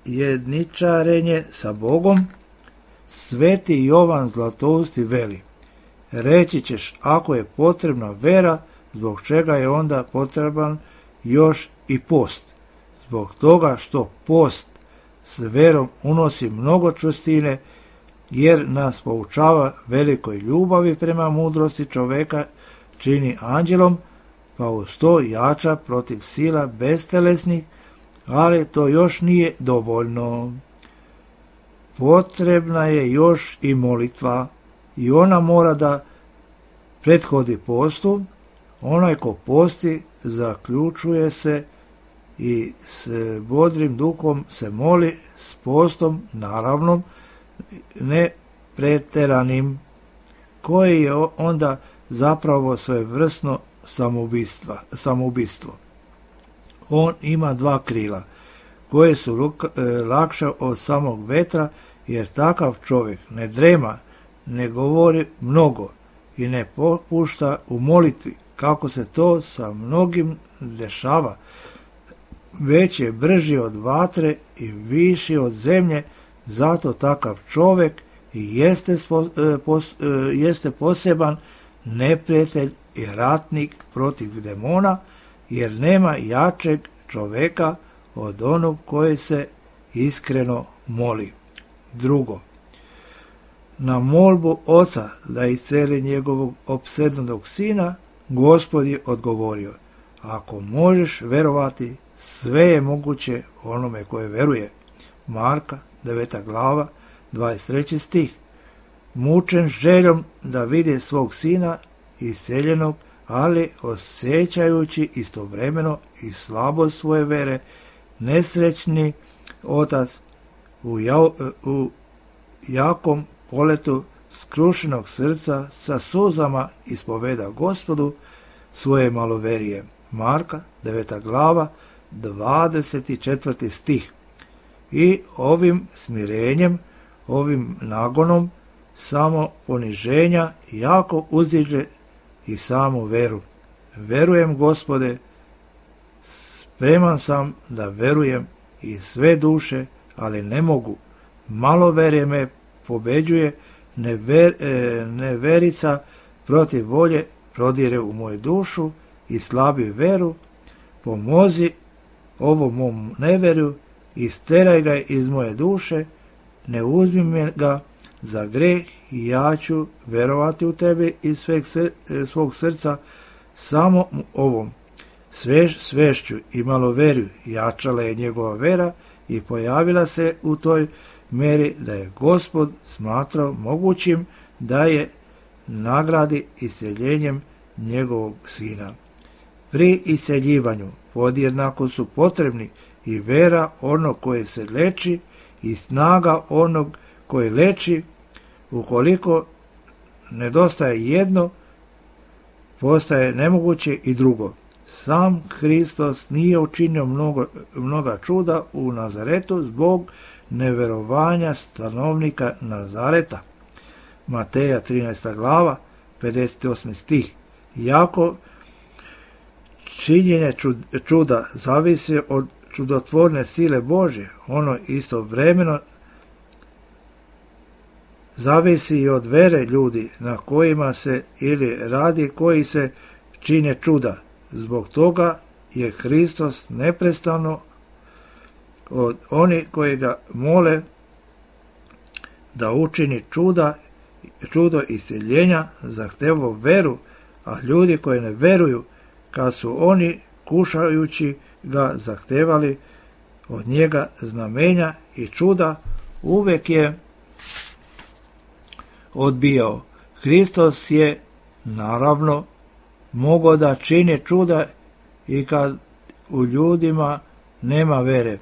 zajedničarenje sa Bogom. Sveti Jovan Zlatousti veli: Reći ćeš, ako je potrebna vera, zbog čega je onda potreban još i post? Zbog toga što post s verom unosi mnogo čvrstine, jer nas poučava velikoj ljubavi prema mudrosti čoveka, čini anđelom, pa uz to jača protiv sila bestelesnih, ali to još nije dovoljno. Potrebna je još i molitva, i ona mora da prethodi postu. Onaj ko posti zaključuje se i s bodrim duhom se moli, s postom naravno ne preteranim, koji je onda zapravo svojevrsno samoubistvo. On ima dva krila, koje su lakša od samog vetra, jer takav čovjek ne drema, ne govori mnogo i ne popušta u molitvi, kako se to sa mnogim dešava, već je brži od vatre i viši od zemlje. Zato takav čovjek i jeste poseban neprijatelj i ratnik protiv demona, jer nema jačeg čovjeka od onog koji se iskreno moli. Drugo, na molbu oca da isceli njegovog opsednunog sina, Gospod je odgovorio, ako možeš verovati, sve je moguće onome koje veruje. Marka 9. glava, 23. stih. Mučen željom da vidi svog sina isceljenog, ali osjećajući istovremeno i slabost svoje vere, nesrećni otac u jakom poletu skrušenog srca sa suzama ispoveda Gospodu svoje maloverije. Marka 9. glava, 24. stih. I ovim smirenjem, ovim nagonom samo poniženja jako uzdiže i samu veru. Verujem, Gospode, spreman sam da verujem i sve duše, ali ne mogu. Maloverje me pobeđuje, neverica protiv volje prodire u moju dušu i slabi veru. Pomozi ovom mom neverju, isteraj ga iz moje duše, ne uzmi me ga za greh i ja ću verovati u tebe iz svog srca. Samo ovom svešću i maloverju jačala je njegova vera i pojavila se u toj meri da je Gospod smatrao mogućim da je nagradi isceljenjem njegovog sina. Pri isceljivanju podjednako su potrebni i vera onog koje se leči i snaga onog koji leči. Ukoliko nedostaje jedno, postaje nemoguće i drugo. Sam Hristos nije učinio mnoga čuda u Nazaretu zbog neverovanja stanovnika Nazareta. Mateja 13. glava, 58. stih. Iako činjenje čuda zavisi od čudotvorne sile Božje, ono istovremeno zavisi i od vere ljudi na kojima se ili radi koji se čine čuda. Zbog toga je Hristos neprestano od onih koji ga mole da učini čudo isceljenja zahtevao veru, a ljudi koji ne veruju, kad su oni kušajući ga zahtevali od njega znamenja i čuda, uvek je odbijao. Hristos je naravno mogao da čini čuda i kad u ljudima nema vere,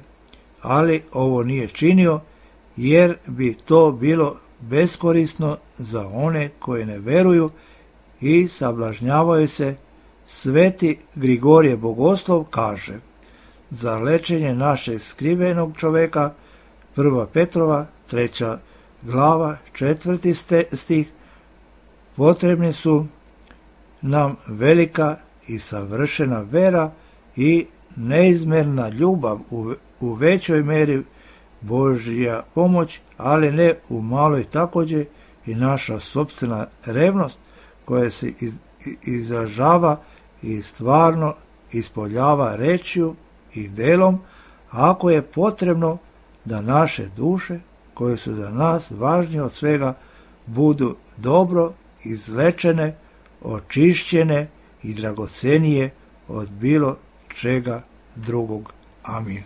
ali ovo nije činio, jer bi to bilo beskorisno za one koji ne veruju i sablažnjavaju se. Sveti Grigorije Bogoslov kaže, za lečenje našeg skrivenog čoveka, 1. Petrova 3. glava, 4. stih, potrebni su nam velika i savršena vera i neizmjerna ljubav, u većoj meri Božja pomoć, ali ne u maloj također i naša sopstvena revnost, koje se izražava i stvarno ispoljava rečju i delom, ako je potrebno da naše duše, koje su za nas važnije od svega, budu dobro izlečene, očišćene i dragocenije od bilo čega drugog. Amin.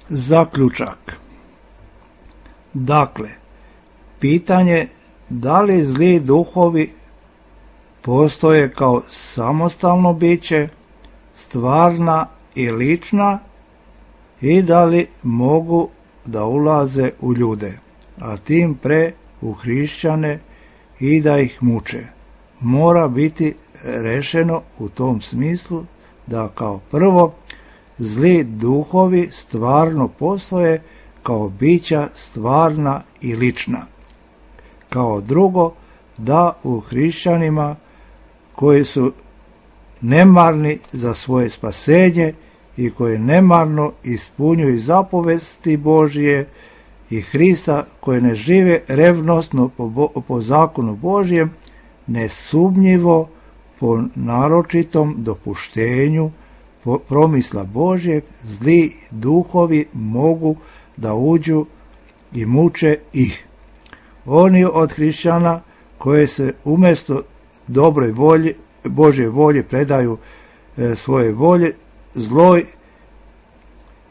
Zaključak. Dakle, pitanje da li zli duhovi postoje kao samostalno biće, stvarna i lična, i da li mogu da ulaze u ljude, a tim pre u hrišćane, i da ih muče. Mora biti rešeno u tom smislu da kao prvo zli duhovi stvarno postoje kao bića stvarna i lična. Kao drugo, da u hrišćanima koji su nemarni za svoje spasenje i koji nemarno ispunjuju zapovesti Božije i Hrista, koji ne žive revnosno po zakonu Božjem, nesumnjivo po naročitom dopuštenju promisla Božjeg, zli duhovi mogu da uđu i muče ih. Oni od hrišćana koje se umjesto dobroj volji, Božje volje predaju svoje volje, zloj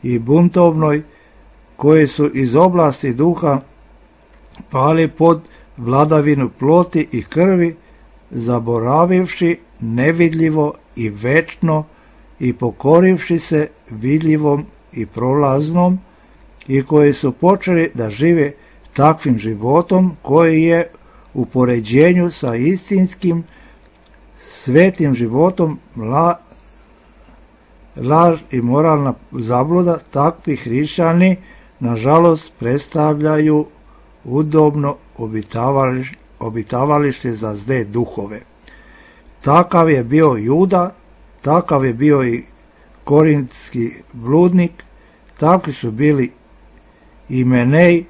i buntovnoj, koji su iz oblasti duha pali pod vladavinu ploti i krvi, zaboravivši nevidljivo i večno i pokorivši se vidljivom i prolaznom, i koji su počeli da žive takvim životom koji je u poređenju sa istinskim svetim životom laž i moralna zabluda. Takvi hrišćani nažalost predstavljaju udobno obitavalište za zle duhove. Takav je bio Juda, takav je bio i korintski bludnik, takvi su bili i Menej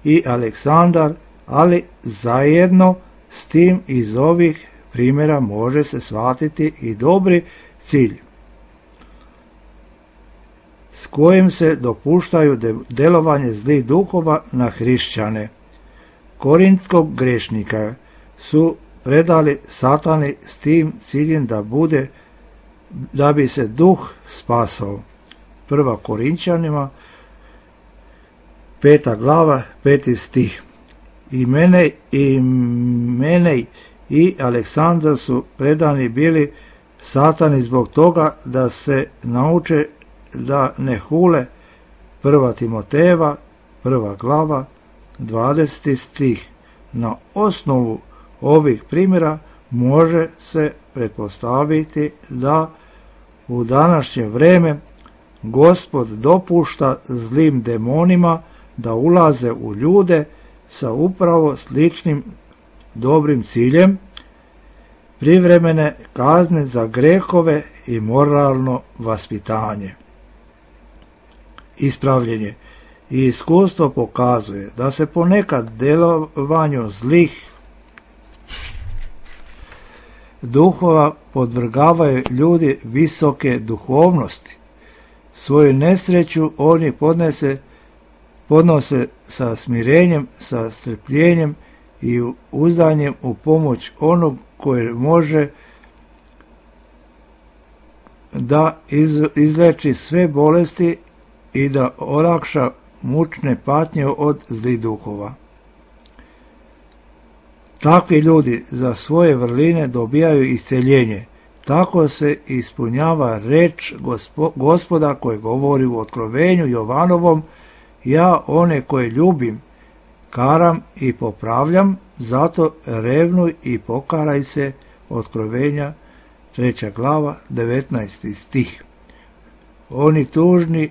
i Aleksandar, ali zajedno s tim iz ovih primjera može se shvatiti i dobri cilj s kojim se dopuštaju delovanje zlih duhova na hrišćane. Korintskog grešnika su predali Satani s tim ciljem da bi se duh spasao. 1. Korinčanima 5. glava 5. stih. I Menej i Aleksandar su predani bili Satani zbog toga da se nauče da ne hule. 1. Timotejeva 1. glava 20. stih. Na osnovu ovih primjera može se pretpostaviti da u današnje vreme Gospod dopušta zlim demonima da ulaze u ljude sa upravo sličnim dobrim ciljem, privremene kazne za grehove i moralno vaspitanje. Ispravljenje i iskustvo pokazuje da se ponekad delovanju zlih duhova podvrgavaju ljudi visoke duhovnosti. Svoju nesreću oni podnose sa smirenjem, sa strpljenjem i uzdanjem u pomoć onog koji može da izleči sve bolesti i da olakša mučne patnje od zlih duhova. Takvi ljudi za svoje vrline dobijaju isceljenje. Tako se ispunjava reč Gospoda koji govori u Otkrovenju Jovanovom: ja one koje ljubim, karam i popravljam, zato revnuj i pokaraj se. Otkrovenja 3. glava 19. stih. Oni tužni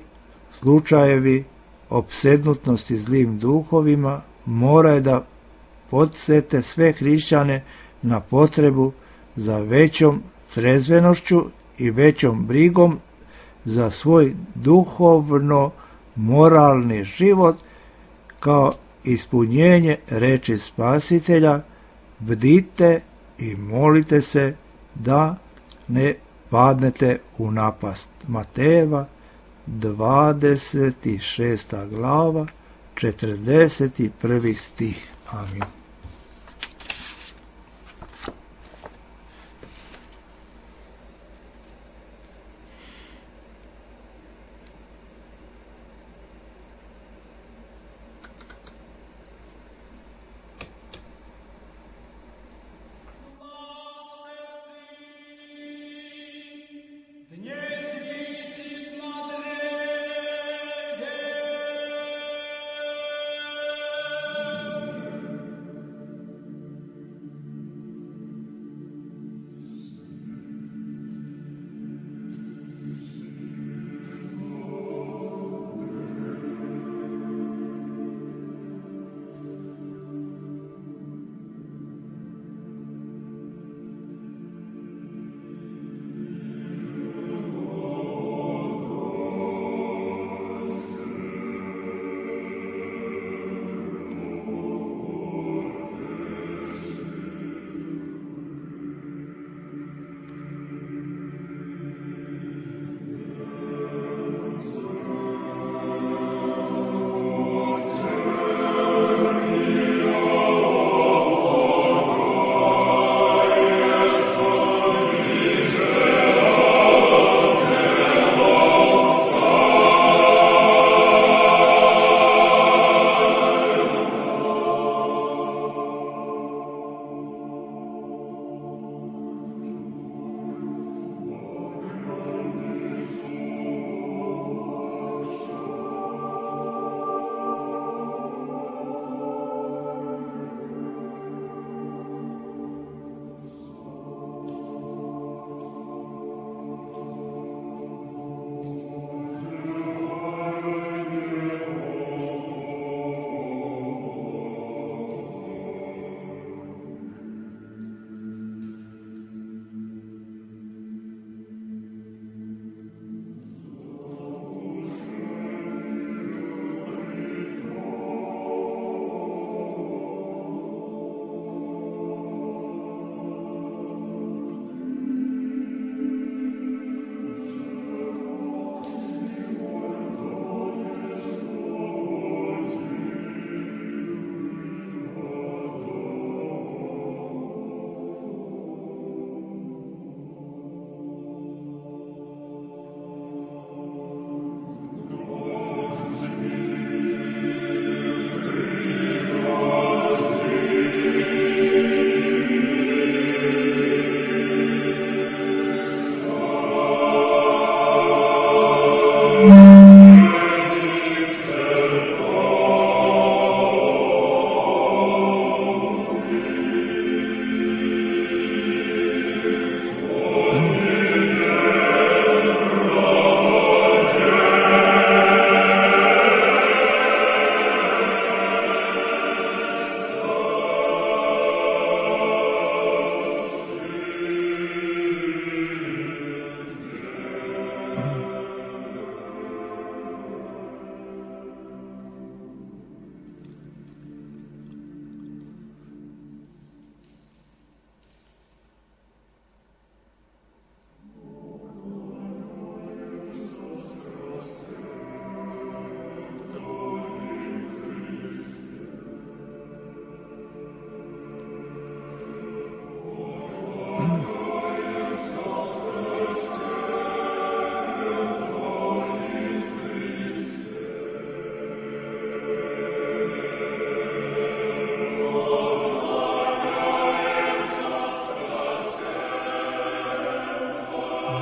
slučajevi opsednutnosti zlim duhovima moraju da podsete sve hrišćane na potrebu za većom trezvenošću i većom brigom za svoj duhovno moralni život kao ispunjenje reči Spasitelja: bdite i molite se da ne padnete u napast. Matejeva 26. glava 41. stih. Amin.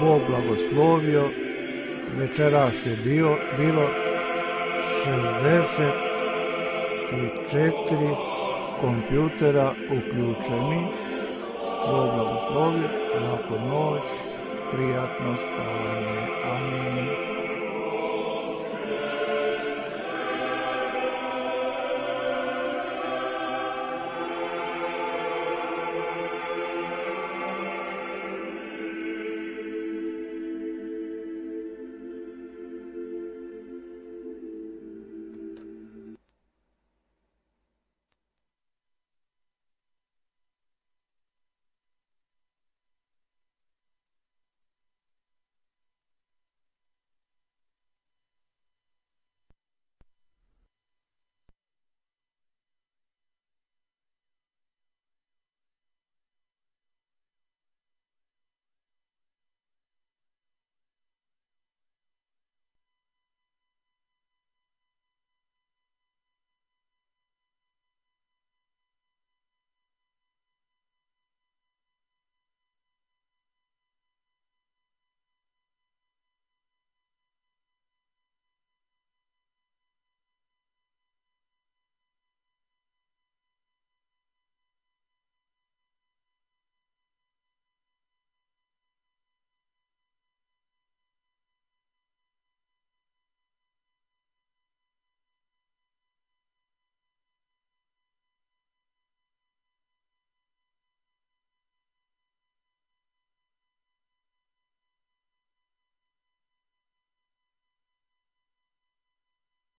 Bog blagoslovio. Večeras je bilo 64 kompjutera uključeni. Bog blagoslovio, laku noć, prijatno spavanje. Amin.